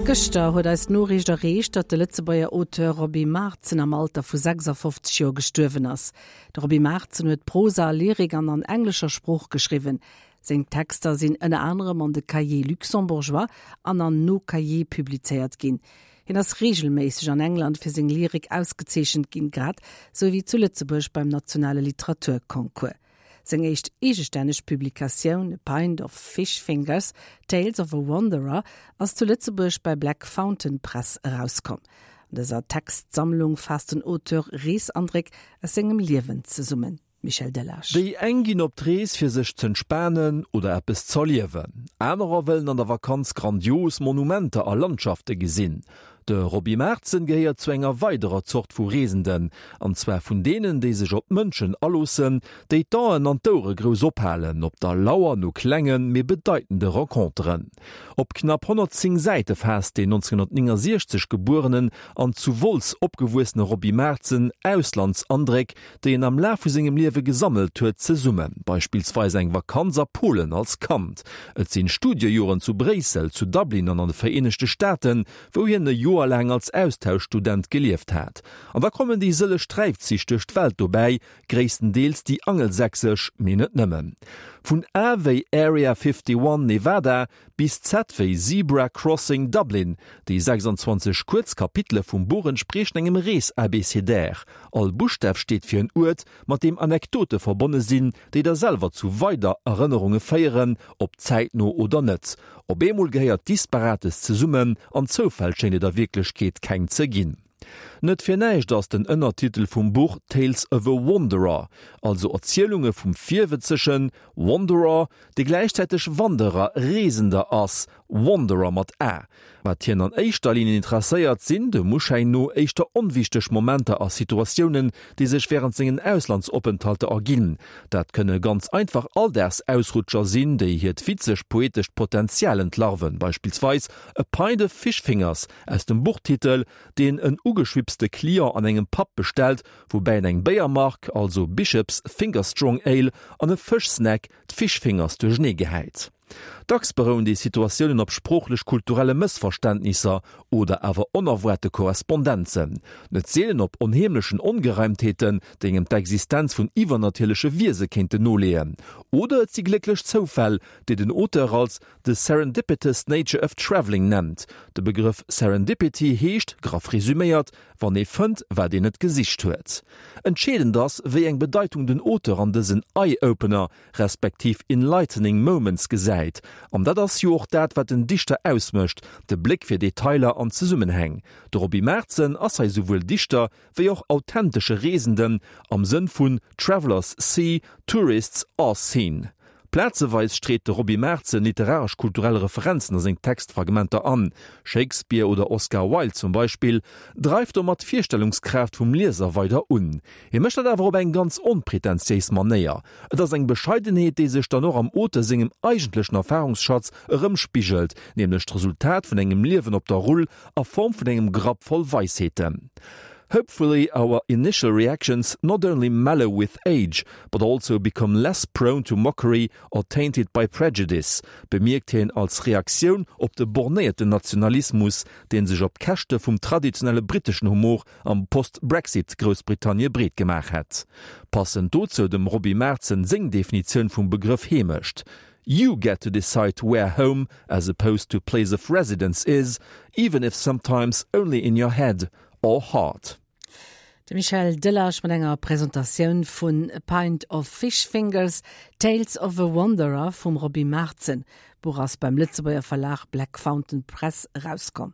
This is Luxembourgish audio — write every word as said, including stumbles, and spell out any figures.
Gëschter huet eis d'Noriicht erreecht, datt de Lëtzebuerger Auteur Roby Marzen am Alter vu sechsafofzeg Joer gestuerwen ass. De Roby Marzen huet Prosa, Lyrik an an englescher Sprooch geschriwwen. Seng Texter sinn ënner anerem an de Cahiers Luxembourgeois an an Nos Cahiers publizéiert ginn. Hien ass reegelméisseg an England fir seng Lyrik ausgezeechent ginn, grad sou wéi zu Lëtzebuerg beim nationale Literaturconcours. Seng éischt eegestänneg Publikatioun A Pint of Fish Fingers, Tales of a Wanderer ass zu Lëtzebuerg bei Black Fountain Press erauskomm. An dëser Textsammlung faasst den Auteur Reesandréck aus sengem Liewen zesummen. Michel Delage. Déi eng ginn op d'Rees fir sech z'entspanen oder eppes z'erliewen. Anerer wëllen an der Vakanz grandios Monumenter a Landschafte gesinn. De Roby Marzen gehéiert zu enger weiderer Zort vu Reesenden, an zwar vun deenen, déi sech op d'Mënschen aloossen, déi d'Aen an d'Ouere grouss ophalen, op der Lauer no klengen, mee bedeitende Renconteren. Op knapp honnertzéng Säite faasst deen nonzénghonnertnéngasiechzeg gebuerenen an zu Wolz opgewuessene Roby Marzen Auslandsandréck, déi en am Laf vu sengem Liewe gesammelt huet, zesummen, beispillsweis eng Vakanz a Polen als Kand. Et sinn Studiejoren zu Bréissel, zu Dublin an an de Vereenegte Staaten, wou hien e Joer laang als Austauschstudent gelieft hat. An da kommen déi sëlleg Sträifzich duerch d'Welt dobäi, gréisstendeels déi angelsächsesch, mee net nëmmen. Vun A wéi Area fifty One, Nevada, bis Z wéi Zebra Crossing, Dublin, déi sechsandzwanzeg kuerz Kapitele vum Buch entspriechen engem Rees-Abecedär. All Buschtaf steet fir en Uert, mat deem Anekdote verbonne sinn, déi da selwer zu weider Erënnerunge féieren, ob zäitno oder net. Op eemol gehéiert Disparates zesummen an Zoufäll schéngt et a Wierklechkeet keng ze ginn. Net fir näischt ass den Ënnertitel vum Buch Tales of a Wanderer, also Erzielunge vum Virwëtzegen, Wanderer, dee gläichzäiteg Wanderer, Reesender ass, Wanderer mat a. Wat hien an éischter Linn interesséiert, sinn, dem Uschäin no, éischter onwichteg Momenter a Situatiounen, déi sech wärend sengen Auslandsopenthalter erginn. Dat kënne ganz einfach Alldagsausrutscher sinn, déi hiert witzeg-poetescht Potenzial entlarven, beispillsweis A Pint of Fish Fingers aus dem Buchtitel, deen en ugeschwipste Client an engem Pub bestellt, woubäi en eng Béiermark, also Bishop's Finger Strong Ale, an e Fëschsnack, d'Fish Fingers, duerchenee gehäit. Dacks berouen déi Situatiounen op sproochlech-kulturelle Mëssverständnisser oder awer onerwaarte Korrespondenzen, net seelen op onheemlechen Ongereimtheeten, déi engem d'Existenz vun iwwernatierleche Wiese kéinten noleeën. Oder et si glécklech Zoufäll, déi den Auteur als the serendipitous nature of travelling nennt. De Begrëff Serendipity heescht, graff resüméiert, wann ee fënnt, wat een net gesicht huet. Entscheedend ass, wéi eng Bedeitung den Auteur an dësen Eye-Opener respektiv enlightening moments gesäit. An dat ass jo och dat, wat den Dichter ausmécht, de Bléck fir Detailer an Zesummenhäng. De Roby Marzen ass hei souwuel Dichter wéi och authentesche Reesenden am Sënn vun Travelers see, tourists are seen. Plazeweis street de Roby Marzen literaresch-kulturell Referenzen a seng Textfragmenter an, Shakespeare oder Oscar Wilde zum Beispill, dreift domat d'Virstellungskraaft vum Lieser weider un. Hie mécht dat awer op eng ganz onpretentiéis Manéier. Et ass eng Bescheidenheet, déi sech dann och am Auteur sengem eigentlechen Erfarungsschatz erëmspigelt, nämlech d'Resultat vun engem Liewen op der Rull a Form vun engem Grapp voll Weisheeten. Hopefully our initial reactions not only mellow with age, but also become less prone to mockery or tainted by prejudice, bemierkt hien als Reaktioun op de bornéierten Nationalismus, dee sech op Käschte vum traditionelle britteschen Humor am Post-Brexit-Groussbritannie breet gemaach hätt. Passend dozou dem Roby Marzen seng Definitioun vum Begrëff Heemecht, You get to decide where home, as opposed to place of residence, is, even if sometimes only in your head or heart. De Michel Delage mat enger Presentatioun vun A Pint of Fish Fingers, Tales of a Wanderer vum Roby Marzen. D'Buch ass beim Lëtzebuerger Verlag Black Fountain Press erauskomm.